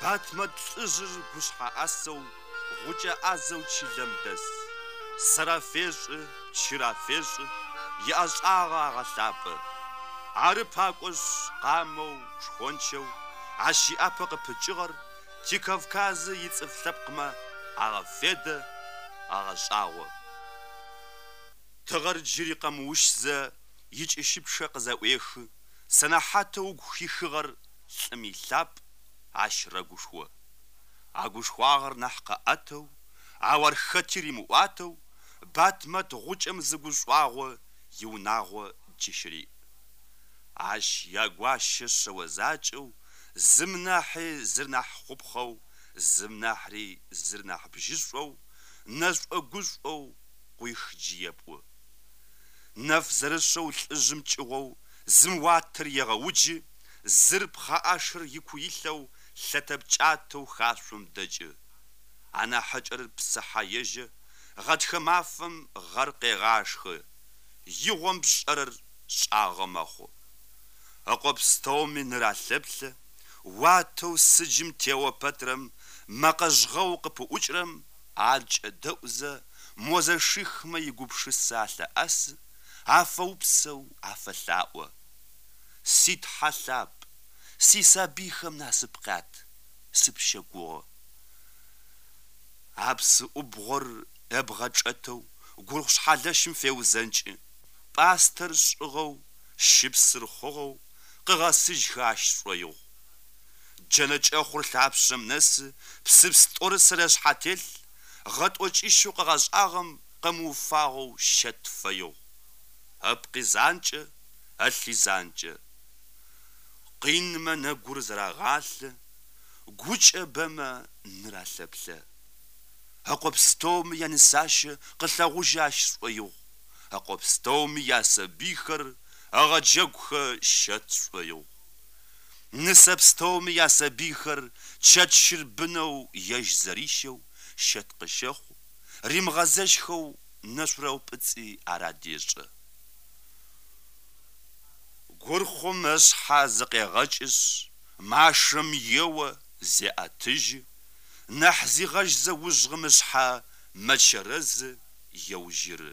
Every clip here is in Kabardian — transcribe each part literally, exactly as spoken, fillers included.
Батмэт лӏыжъыр гушъхьэ ӏасэу, гъукӏэ ӏазэу чылэм дэс. Сэр афешӏы, чыр афешӏы, иӏэшӏагъэ агъэлъапӏэ. Ары пакӏошъ, къамэу, шхончэу, ащ иӏапэ къыпыкӏыгъэр ти Кавказы ицӏыф лъэпкъмэ агъэфедэ, агъэшӏагъо. Тыгъэр джыри къэмыущзэ икӏыщыпчъэ къызэӏуехы, сэнэхьатэу ыгу хихыгъэр лӏым илъапӏ, ащ рэгушхо. А гушхуагъэр нахь къыӏэтэу, ау ар хэти римыӏуатэу, Батмэт гъукӏэм зы гушӏуагъо иунагъо джы щыриӏ. Ащ ягуащэ шъэо закӏэу, зым нахьи зыр нахь хъупхъэу, зым нахьри зыр нахь бжьышӏоу, нэшӏо-гушӏоу къуих джы епӏу. Нэф зэрышъэу лӏыжъым кӏыгъоу зым уатэр егъэуджы, зыр пхъэӏашэр ику илъэу лъэтэпкӏатэу хашъом дэкӏы. Анахьыкӏэр псыхьэ ежьэ, гъэтхэ мафэм гъэр къегъашхэ, игъом пшӏэрэр шӏагъэ мэхъу. Ыкъо пстэуми ныр алъэплъэ, уатэу сыджым тео пэтрэм, мэкъэ жъгъэу къыпыӏукӏырэм ар кӏэдэӏузэ, мо зэшихмэ игупшысэ алъэӏэсы, афэупсэу афэлъаӏо. Си Тхьэ лъапӏ, сисабыйхэм насып къят, сыпщэгугъы. А псы ӏубгъор ыбгъэ чӏэтэу гурыхъу шъхьэлэщым феузэнкӏы, пӏастэр шӏыгъэу, щыпсыр хъугъэу, къыгъэсыжьхэ ащ шӏоигъу. Джэнэ кӏэхъур лъапшъэм нэсы, псыпс тӏорысэр ышъхьэ телъ, гъэ тӏокӏищэу къыгъэшӏагъэм къымыуфагъэу щэт фэигъу. Ыпкъи занкӏэ, ылъи занкӏэ. Къинмэ нэгур зэрагъалъэ, гукӏэ бэмэ ныр алъэплъэ. Ыкъо пстэуми янысащэ къылъэгъужьы ащ шӏоигъу, ыкъо пстэуми ясабыйхэр ыгъэджэгухэ щэт шӏоигъу. Нысэ пстэуми ясабыйхэр чэт щырбынэу ежь зэрищэу щэт къыщэхъу, римыгъэзэщхэу нэшъурэупӏыцӏи ар адешӏэ. Гурхъум ышъхьэ зыкъегъэкӏышъ, машэм ео, зеӏэтыжьы, нахь зигъэжьзэ ужгъым ышъхьэ мэчэрэзы, еужьыры.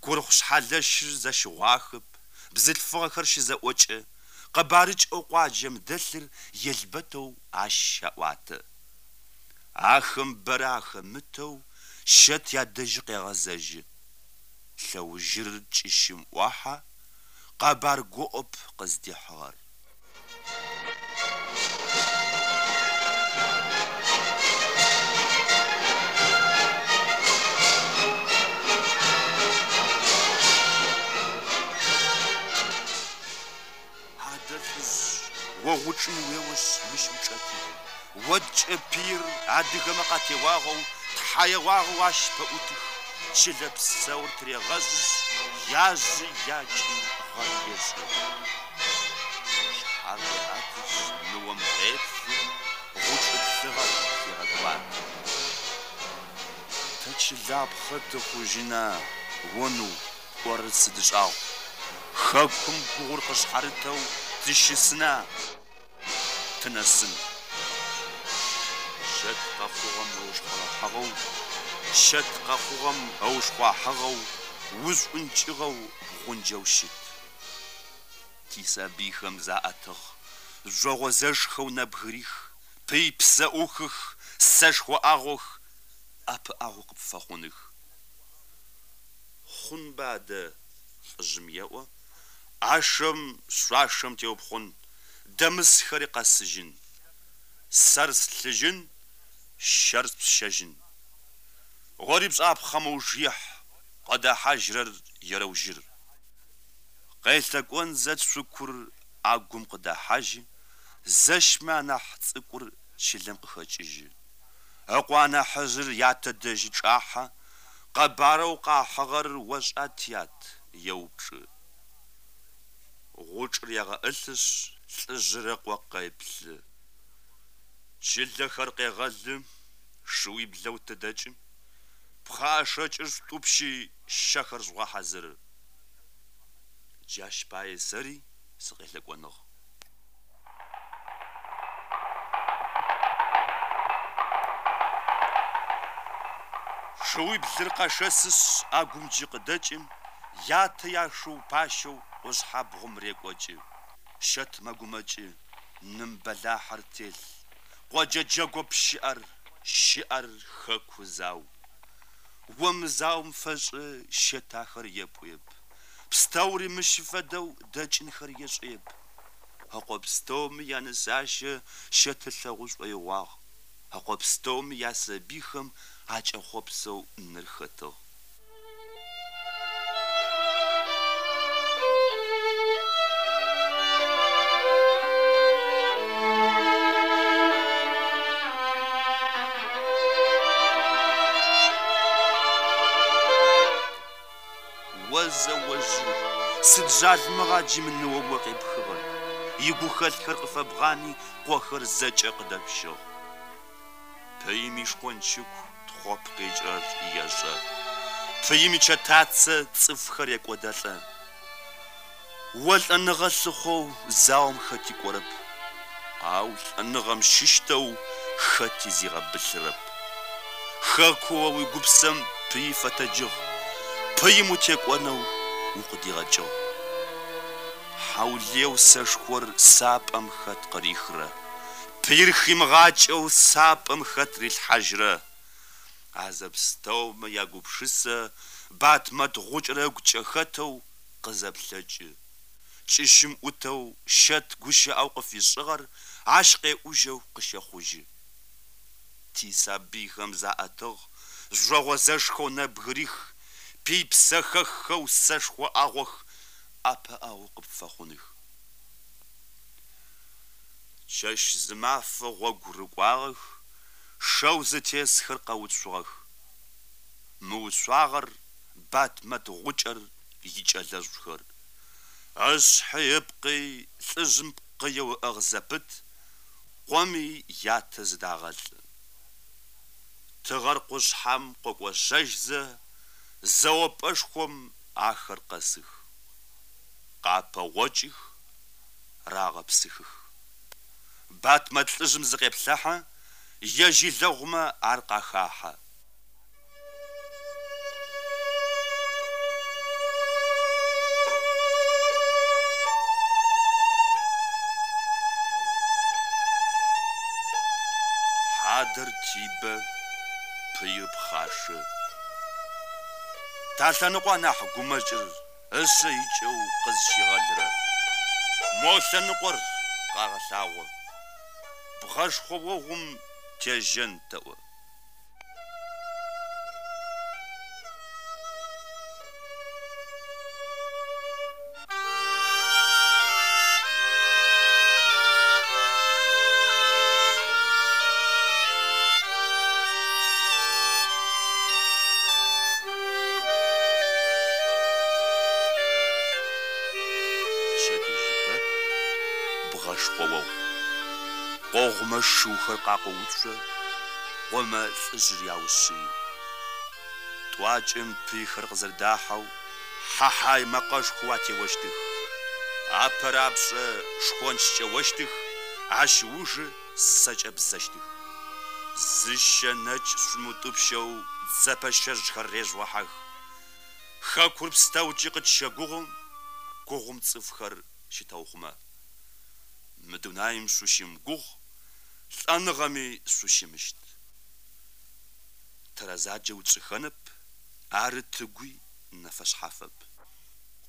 Гурхъу шъхьэлэщыр зэщыгъуахэп, бзылъфыгъэхэр щызэӏокӏэ, къэбарыкӏэу къуаджэм дэлъыр елбэтэу ащ щаӏуатэ. Ахэм бэрэ ахэмытэу щэт ядэжьы къегъэзэжьы. Лъэужьырыр кӏыщым ӏохьэ, къэбар гоӏоп къыздихьыгъэр. Адэ лӏыжъ, о гъучӏым уеошъ мыщ учӏэти, одкӏэ пыир адыгэмэ къатеуагъэу, тхьэ еуагъэу ащ пэӏутых, чылэ псэур тырегъэжъышъ, яжъи якӏи гъэр ешӏы. Шъхьэр къеӏэтышъ, ныом къеплъы, гъучӏы плъыгъэр лъегъэкӏуатэ. Тэ чылапхъэ тыхъужьына, оныу, пӏорэр сыд шӏагъу? Хэкум гугъур къышъхьарытэу тыщысына, тынэсын. Щэт къэхъугъэм ыушхъурэхьыгъэу, щэт къэхъугъэм ыушхъуахьыгъэу, ушӏункӏыгъэу бгъунджэу щыт. Тисабыйхэм заӏэтыгъ, жъогъозэшхэу нэбгырих, пый псэӏухых, сэшхо ӏагъох, ӏэпыӏэгъу къыпфэхъуных. Хъунба адэ, лӏыжъым еӏо, ӏашэм, шъуашэм теупхъун, дэмысхэри къэсыжьын. Сэр слъыжьын, щэр спщэжьын. Ори пшӏапхъэм ыуж ихь, къыдэхьажьрэр ерэужьыр. Къелъэкӏонзэ цукур ӏэгум къыдэхьажьы, зэшмэ анахь цӏыкӏур чылэм къыхэкӏыжьы. Ыкъо анахьыжъыр ятэ дэжьы чӏахьэ, къэбарэу къахьыгъэр ошӏа тят? Еупчӏы. Гъучӏыр егъэӏылъышъ, лӏыжъыр ыкъо къеплъы. Чылэхэр къегъэлы, шыуиблэу тыдэкӏы, пхъэӏэшэкӏыр шъутӏупщи, щэхэр жъугъэхьазыры. Джащ пае сэри сыкъелъэкӏоныгъ. Шыуиблыр къэшэсышъ ӏэгум джы къыдэкӏы, ятэ яшыу пащэу къушъхьэбгъум рекӏокӏы. Щэт мэгумэкӏы, ным бэлахьэр телъ. Къоджэ джэгоп щыӏэр, щыӏэр хэку зау. О мы заом фэшӏы щэт ахэр епӏуеп. Пстэури мыщ фэдэу дэкӏынхэр ешӏэп. Ыкъо пстэуми янысащэ щэт ылъэгъу шӏоигъуагъ. Ыкъо пстэуми ясабыйхэм акӏэхъопсэу ныр хэтыгъ. О зэожьыр, сыд жъалымыгъа джы мы ныом о къепхыгъэр? Игухэлъхэр къыфэбгъани, къохэр зэкӏэ къыдэпщыгъ. Пыим ишхончыку тхъоп къикӏырэр ешӏэ. Пыим ичэтацэ цӏыфхэр екӏодэлӏэ. О лӏэныгъэ лъыхъоу заом хэти кӏорэп. Ау лӏэныгъэм щыщтэу хэти зигъэбылъырэп. Хэку о уигупсэм пыи фэтэджыгъ. Пыим утекӏонэу укъыдигъэкӏыгъ. Хьаулыеу сэшхор сапӏэм хэт къырихрэ. Пыир химыгъакӏэу сапӏэм хэт рилъхьажьрэ. А зэпстэумэ ягупшысэ Батмэт гъукӏэр ыгукӏэ хэтэу къызэплъэкӏы. Кӏыщым ӏутэу щэт гущыӏэу къыфишӏыгъэр ащ къеӏужьэу къыщэхъужьы. Тисабыйхэм заӏэтыгъ, жъогъозэшхэу нэбгырих, пый псэхэххэу сэшхо ӏагъох, ӏэпыӏэгъу къыпфэхъуных. Чэщ зы мафэ гъогу рыкӏуагъэх, шэу зытесхэр къэуцугъэх. Мыуцуагъэр Батмэт гъукӏэр икӏэлэжъухэр. Ышъхьи ыпкъи лӏыжъым пкъыеу ыӏыгъ зэпыт, къоми ятэ зыдагъэлӏы. Тыгъэр къушъхьэм къокӏошъэжьзэ, зэопӏэшхом ахэр къэсых. Къапэгъокӏых, рагъэпсыхых. Батмэт лӏыжъым зыкъеплъыхьэ, ежь илэгъумэ ар къахахьэ. Хьадэр тибэ, пыир пхъашэ. Талъэныкъо анахь гумэкӏыр ышъэ икӏэу къызщигъэлырэ. Мо лъэныкъор къагъэлъагъо. Бгъэшхъо огъум тежьэн тэӏо. Пчэдыжьыпэ бгъэшхъо огъу. Къогъумэ шыухэр къакъоуцо, къомэ лӏыжъыр яушъыи. Тӏуакӏэм пыйхэр къызэрдахьэу хьэхьай мэкъэшхоу атеощтых. Апэрапшӏэ шхончкӏэ ощтых, ащ ыужы сэкӏэ бзэщтых. Зы щэ нэкӏ шъумытӏупщэу дзэпэщэжьхэр режъугъэхьэх. Хэкур пстэукӏи къытщэгугъу, гугъум цӏыфхэр щытэухъумэ. Мы дунаим шъущымыгугъ, лӏэныгъэми шъущымыщт. Тэрэзаджэ утшӏыхэнэп, ары тыгуи нэфэшъхьафэп.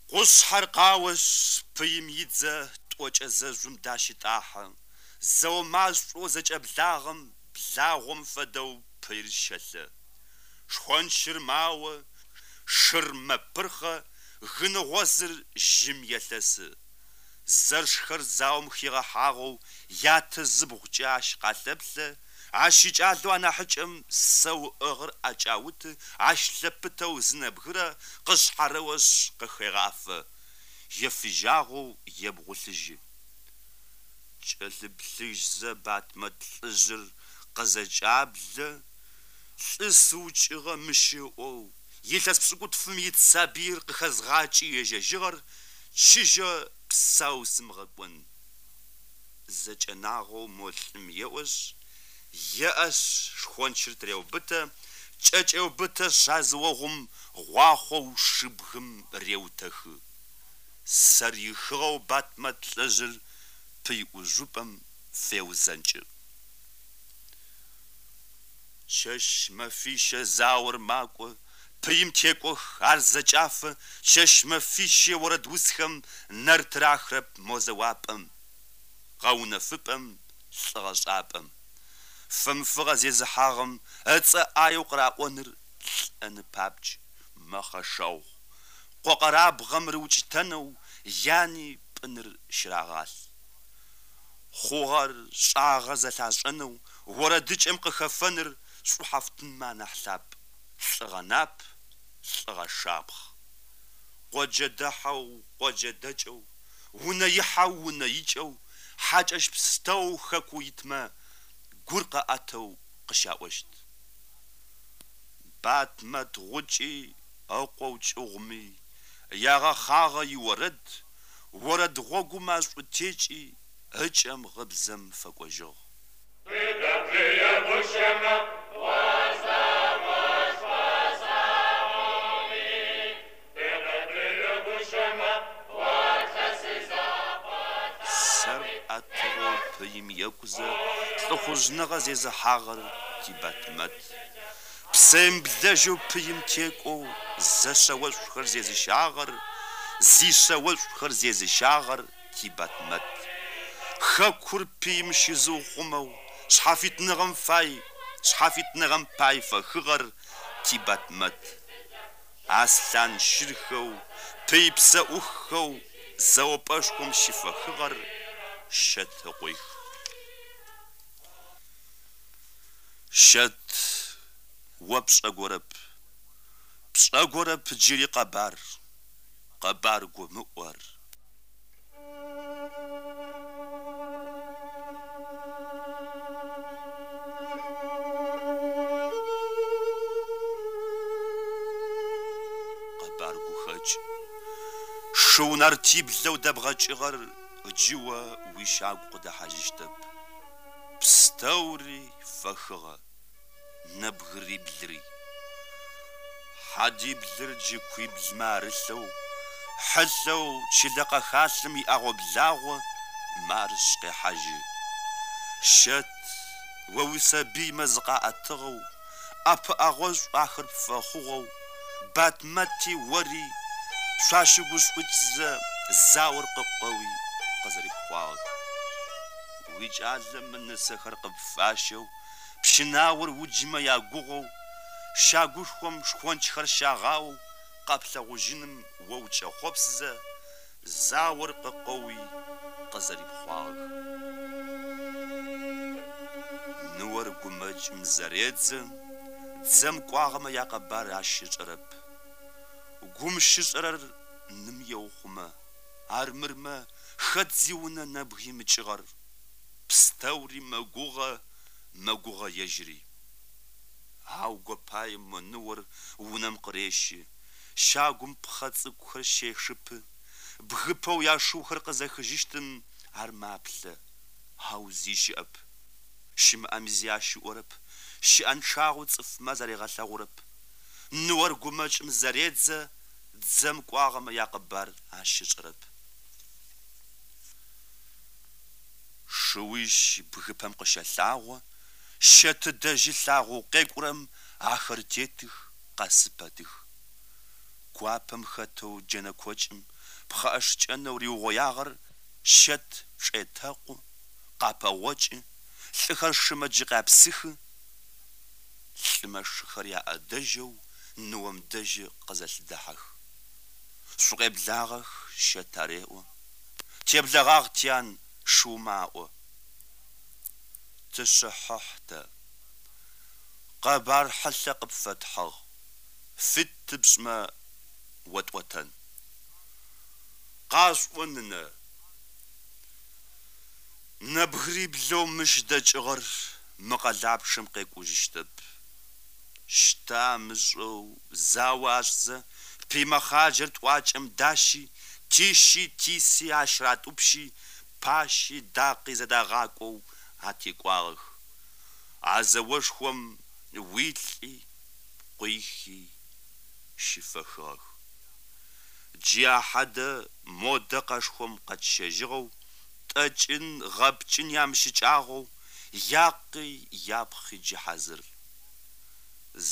Къушъхьэр къаошъ, пыим идзэ тӏокӏэ зэжъум дащытӏахьэ. Зэо машӏоу зэкӏэблагъэм благъом фэдэу пыир щэлъэ. Шхончыр мао, шыр мэпырхъэ, гыныгъозыр жьым елъэсы. Зэршхэр заом хигъэхьагъэу ятэ зыбгъукӏэ ащ къалъэплъэ, ащ икӏалэу анахьыкӏэм сэу ыӏыгъыр ӏэкӏауты, ащ лъэпытэу зы нэбгырэ къышъхьарэошъ къыхегъафэ, ефыжьагъэу ебгъулъыжьы. Кӏэлъыплъыжьзэ Батмэт лӏыжъыр къызэкӏаблэ, лӏы сыукӏыгъэ мыщ ыӏоу, илъэс пшӏыкӏутфым ит сабыир къыхэзгъакӏи ежьэжьыгъэр чыжьэ псау сымыгъэкӏон. Зэкӏэнагъэу мо лӏым еӏошъ, еӏэшъ шхончыр тыреубытэ, Кӏэкӏэубытэшъ а зы огъум гъуахъоу шыбгым реутэхы. Сэр ихыгъэу Батмэт лӏыжъыр пый ӏужъупӏэм феузэнкӏы. Чэщ мэфищэ заор макӏо, пыим текӏох, ар зэкӏафэ, чэщ мэфищэ орэд усхэм нэр тырахрэп мо зэуапӏэм, гъэунэфыпӏэм, лӏыгъэшӏапӏэм. Фэмыфыгъэ зезыхьагъэм ыцӏэ ӏаеу къыраӏоныр лӏэны папкӏ, мэхъэшэгъу. Къо къэрабгъэм рыукӏытэнэу яни пӏыныр щырагъалъ. Хъугъэр шӏагъэ зэлъашӏэнэу орэдыкӏэм къыхэфэныр шӏухьафтынмэ анахь лъапӏ, лӏыгъэ нап, лӏыгъэ шапхъ. Къоджэ дэхьэу, къоджэ дэкӏэу, унэ ихьэу, унэ икӏэу, хьакӏэщ пстэу хэку итмэ гур къыӏэтэу къыщаӏощт. Батмэт гъукӏи ыкъоу кӏыгъуми ягъэхъагъэ иорэд, орэд гъогум ашӏутекӏи ыкӏэм гъыбзэм фэкӏожьыгъ. Сэр ӏэтыгъэу пыим екӏузэ лӏыхъужъныгъэ зезыхьагъэр ти Батмэт. Псэемыблэжьэу пыим текӏоу зэшъэошӏухэр зезыщагъэр, зишъэошӏухэр зезыщагъэр ти Батмэт. Хэкур пыим щызыухъумэу шъхьафитныгъэм фай, шъхьафитныгъэм пай фэхыгъэр ти Батмэт. Аслъан щырхэу, пый псэӏуххэу зэопӏэшхом щыфэхыгъэр Щэт ыкъуих. Щэт о пшӏэгорэп, пшӏэгорэп джыри къэбар, къэбар гомыӏор. Къэбар гухэкӏ. Шыу нартиблэу дэбгъэкӏыгъэр джы о уищагу къыдэхьажьыщтэп. Пстэури фэхыгъэ, нэбгыриблыри. Хьадиблыр джы куиблмэ арылъэу, хьылъэу чылэ къэхалъым иӏэгъо-благъо марыш къехьажьы. Щэт о уисабыймэ зыкъаӏэтыгъэу, ӏэпыӏэгъошӏу ахэр пфэхъугъэу, Батмэти ори шъуащыгушӏукӏзэ заор къыкъоуи къызэрипхъуагъэх. Уикӏалэмэ нысэхэр къыпфащэу, пщынаор уджымэ ягугъоу, щагушхом шхончхэр щагъаоу къэплъэгъужьыным о укӏэхъопсызэ заор къыкъоуи къызэрипхъуагъэх. Ныор гумэкӏым зэредзэ, дзэм кӏуагъэмэ якъэбар ащ ышӏэрэп. Гум щышӏэрэр ным еухъумэ, армырмэ хэт зиунэ нэбг имыкӏыгъэр. Пстэури мэгугъэ, мэгугъэ ежьыри. Ау гопаем ныор унэм къырещы, щагум пхъэ цӏыкӏухэр щешыпы, бгыпэу яшыухэр къызэхыжьыщтым ар маплъэ, ау зи щыӏэп. Щымыӏэми зи ащ ыӏорэп, щыӏэнчъагъэу цӏыфмэ заригъэлъэгъурэп. Ныор гумэкӏым зэредзэ, дзэм кӏуагъэмэ якъэбар ащ ышӏэрэп. Шыуищ бгыпэм къыщэлъагъо, Щэты дэжьы лъагъоу къекӏурэм ахэр тетых, къэсыпэтых. Куапэм хэтэу джэнэ кокӏым пхъэӏэшкӏэнэу риугъоягъэр Щэт чӏетэкъу, къапэгъокӏы, лӏыхэр шымэ джы къяпсыхы. Лӏымэ шыхэр яӏэдэжьэу ныом дэжьы къызэлъыдэхьэх. Шъукъеблагъэх, Щэт ареӏо. Теблэгъагъ тян, шыумэ аӏо. Тыщыхьыхь тэ. Къэбар хьылъэ къыпфэтхьыгъ, фит тыпшӏмэ отӏотэн. Къашӏо нынэ. Нэбгыриблэу мыщ дэкӏыгъэр мы къэлапчъэм къекӏужьыщтэп. Щтэ амышӏэу зао ашӏзэ, пый мэхъаджэр тӏуакӏэм дащи, тищи тиси ащ ратӏупщи, пащи дакъи зэдагъакӏоу атекӏуагъэх. А зэошхом уилӏи, Къуихи щыфэхыгъэх. Джы ахьадэ модэ къэшхом къэтщэжьыгъэу, тӏэкӏын, гъэпкӏын ямыщыкӏагъэу, якъи япхъи джы хьазыр.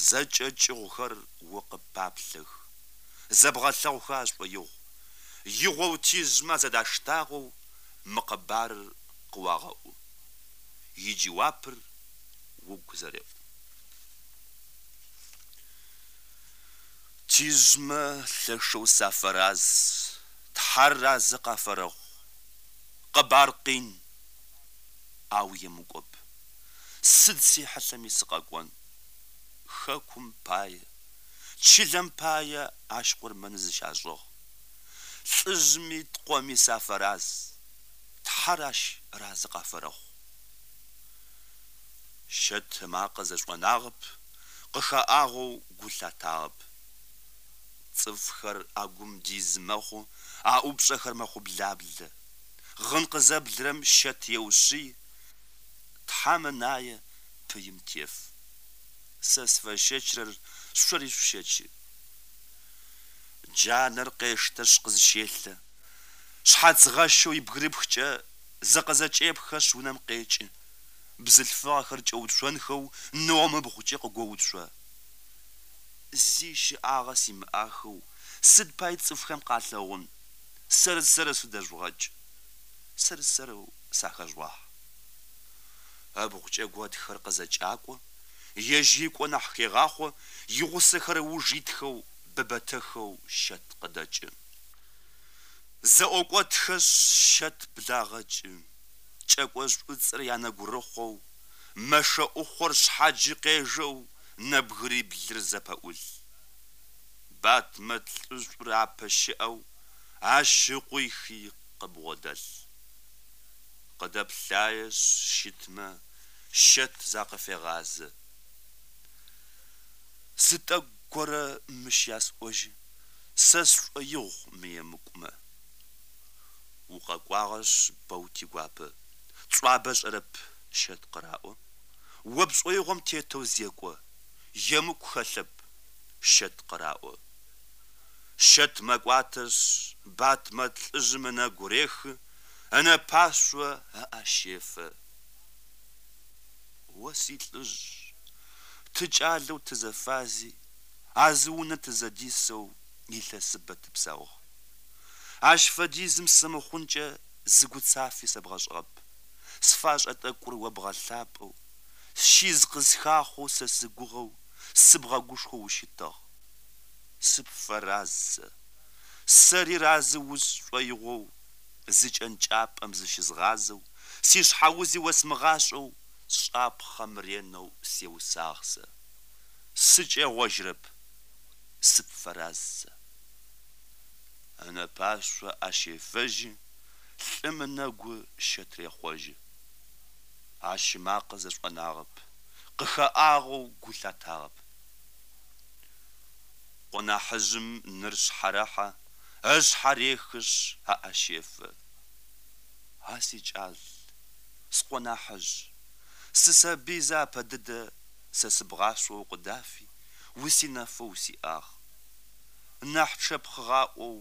Зэкӏэ кӏыгъухэр о къыппаплъэх, зэбгъэлъэгъухэ ашӏоигъу, игъоу тижъмэ зэдаштагъэу мы къэбарыр къыуагъэӏу. Иджэуапыр угу зэреӏу. Тижъмэ лъэшэу сафэраз, Тхьэр разэ къафэрэхъу. Къэбар къин, ау емыкӏоп. Сыд сихьылъэми сыкъэкӏон. Хэкум пае, чылэм пае ащ къурмэны зыщашӏыгъ. Лӏыжъми ткъоми сафэраз, Тхьэр ащ разэ къафэрэхъу. Щэт ымакъэ зэшӏонагъэп, къыхэӏагъэу гу лъатагъэп. Цӏыфхэр агум дизы мэхъу, аӏупшӏэхэр мэхъублаблэ. Гъын къызэблырэм щэт еушъый, Тхьэм ынае пыим теф. Сэ сфэщэчырэр шъори шъущэчы. Джанэр къештэшъ къызщелъэ. Шъхьац гъэщэу ибгырыпхкӏэ зыкъызэкӏепхэшъ унэм къекӏы. Бзылъфыгъэхэр кӏэуцонхэу ныом ыбгъукӏэ къыгоуцо. Зи щыӏагъэ симыӏахэу сыд пай цӏыфхэм къалъэгъун, сэр-сэрэу сыдэжъугъэкӏ, сэр-сэрэу сахэжъугъахь. Ыбгъукӏэ готхэр къызэкӏакӏо, ежь икӏо нахь хегъахъо, игъусэхэр ыуж итхэу быбэтэхэу щэт къыдэкӏы. Зэӏокӏотхэшъ щэт благъэкӏы, кӏэкӏо шӏуцӏэр янэгурыхъоу, мэшэ ӏухъор шъхьаджи къежэу нэбгыриблыр зэпэӏулъ. Батмэт лӏышӏур апэ щыӏэу, ащ ыкъуихи къыбгъодэлъ. Къыдэплъаешъ щытмэ щэт закъыфегъазэ. Зы тӏэкӏу горэ мыщ ясӏожьы, сэ сшӏоигъу мы емыкӏумэ. Укъэкӏуагъэшъ бэу тигуапэ, тшӏуабэ шӏэрэп щэт къыраӏо. О пшӏоигъом тетэу зекӏо, емыкӏу хэлъэп, щэт къыраӏо. Щэт мэкӏуатэшъ, Батмэт лӏыжъым ынэгу рехы, ынэпашъо ыӏэ щефэ. О силӏыжъ, тыкӏалэу тызэфази, а зы унэ тызэдисэу илъэсыбэ тыпсаугъ. Ащ фэдизым сымыхъункӏэ зы гуцафи сэбгъэшӏыгъэп. Сфашӏэ тӏэкӏур о бгъэлъапӏэу, сщиз къысхахъоу сэ сыгугъэу, сыбгъэгушхоу ущытыгъ. Сыпфэраз сэ. Сэри разэ усшӏоигъоу, зы кӏэнкӏапӏэм зыщызгъазэу, сишъхьэузи осмыгъашӏэу, сшӏапхъэм ренэу сеусагъ сэ. Сыкӏегъожьырэп, сыпфэраз сэ. Ынэпашъо ӏэ щефэжьы, лӏым ынэгу щэт рехъожьы. Ащ ымакъэ зэшӏонагъэп, къыхэӏагъэу гу лъатагъэп. Къо нахьыжъым ныр шъхьарэхьэ, ышъхьэ рехышъ ыӏэ щефэ. А сикӏал, скъо нахьыжъ, сысабыйзэ апэ дэдэ сэ сыбгъашъо укъыдафи, усинэфэу усиӏагъ. Нахь чъэпхъыгъаӏоу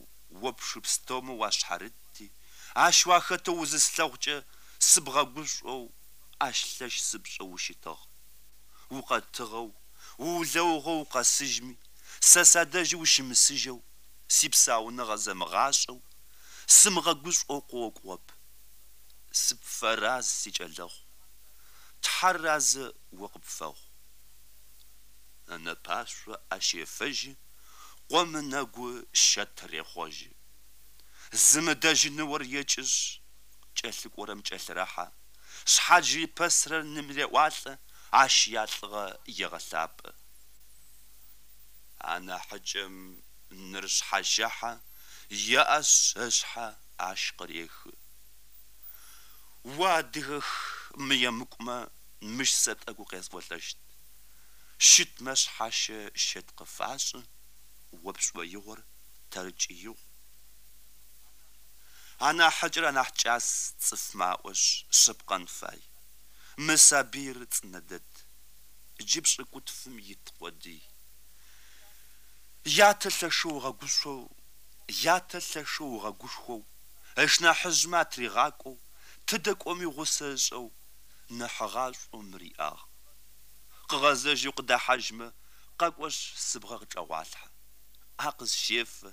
о пшы пстэумэ уашъхьарытти, ащ уахэтэу узыслъэгъукӏэ сыбгъэгушӏоу, ащ лъэш сыпшӏэу ущытыгъ. Укъэтыгъэу, уулэугъэу укъэсыжьми, сэ садэжьы ущымысыжьэу, сипсауныгъэ зэмыгъашӏэу, сымыгъэгушӏоу къыокӏугъэп. Сыпфэраз, сикӏэлэхъу, Тхьэр разэ о къыпфэхъу. Ынэпашъо ӏэ щефэжьы, къом ынэгу щэт рехъожьы. Зымыдэжьы ныор екӏышъ, кӏэлъыкӏорэм кӏэлъырэхьэ, шъхьадж рипэсырэр ным реӏуалӏэ, ащ ялӏыгъэ егъэлъапӏэ. Анахьыкӏэм ныр шъхьащэхьэ, еӏэшъ ышъхьэ ащ къырехы. О адыгэх мы емыкӏумэ мыщ сэ тӏэкӏу къесӏолӏэщт. Щытмэ шъхьащэ щэт къыфашӏы, о пшӏоигъор тэркӏи игъу. Анахьыкӏэр анахь кӏас цӏыфмэ аӏошъ, шъыпкъэн фай. Мы сабыир цӏынэ дэд. Джы пшӏыкӏутфым ит къодый. Ятэ лъэшэу ыгъэгушӏоу, ятэ лъэшэу ыгъэгушхоу, ышнахьыжъмэ атригъакӏоу, тыдэ кӏоми гъусэ ышӏэу, ныхьыгъашӏоу мыр иӏагъ. Къыгъэзэжьэу къыдэхьажьмэ, къэкӏошъ сыбгъэ къычӏэгъуалъхьэ. ӏэ къысщефэ,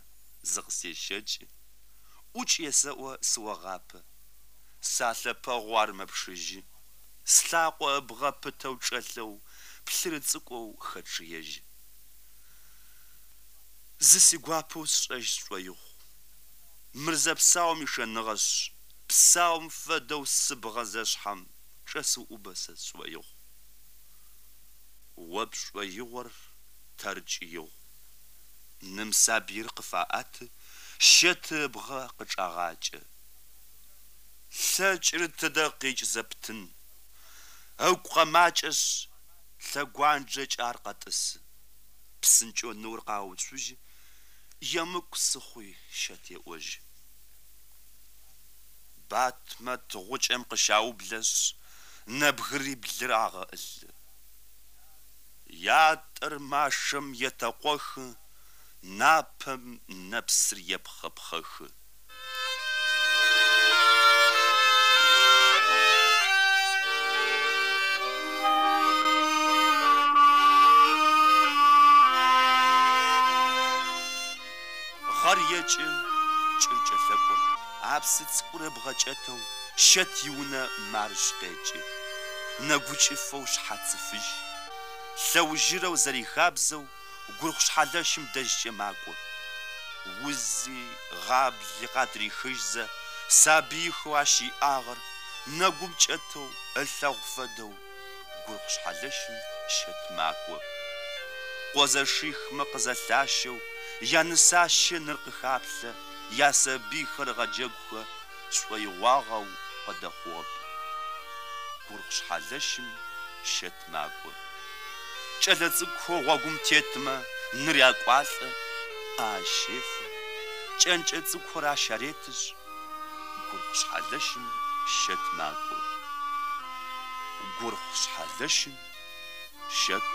зыкъысещэкӏы. ӏукӏ есэӏо сыогъапэ. Салъэпэгъу ар мэпшыжьы. Слъакъо ыбгъэ пытэу чӏэлъэу, плъыры цӏыкӏоу хэчъыежьы. Зы сигуапэу сшӏэжь сшӏоигъу. Мыр зэпсаум ишэныгъэшъ, псаум фэдэу сыбгъэ зэшъхьэм чӏэсыуӏубэ сэ сшӏоигъу. О пшӏоигъор тэркӏи игъу. Ным сабыир къыфаӏэты, Щэты ыбгъэ къычӏагъакӏэ. Лъэкӏыр тыдэ къикӏ зэптын. Ыгу къэмакӏэшъ, лъэгуанджэкӏэ ар къэтӏысы. Псынкӏэу ныор къауцужьы, емыкӏу сыхъуи Щэт еӏожьы. Батмэт гъукӏэм къыщаублэшъ, нэбгыриблыр агъэӏылъы. Ятӏэр машэм етэкъохы, напэм нэпсыр епхъэпхъэхы. Гъэр екӏы, кӏыр кӏэлъэкӏо, а псы цӏыкӏур ыбгъэ кӏэтэу Щэт иунэ марыщ къекӏы. Нэгукӏыфэу шъхьацы фыжь. Лъэужьырэу зэрихабзэу гурхъу шъхьэлэщым дэжькӏэ макӏо. Узи, гъабли къатрихыжьзэ, сабыихэу ащ иӏагъэр нэгум кӏэтэу ылъэгъу фэдэу гурхъу шъхьэлэщым Щэт макӏо. Къо зэшихмэ къызэлъащэу, янысащэ ныр къыхаплъэ, ясабыйхэр ыгъэджэгухэ шӏоигъуагъэу къыдэхъугъэп. Гурхъу шъхьэлэщым Щэт макӏо. Кӏэлэцӏыкӏухэу гъогум тетмэ ныр якӏуалӏэ, ӏэ ащефэ, кӏэнкӏэ цӏыкӏухэр ащ аретышъ, гурхъу шъхьэлэщым Щэт макӏо. Гурхъу шъхьэлэщым Щэт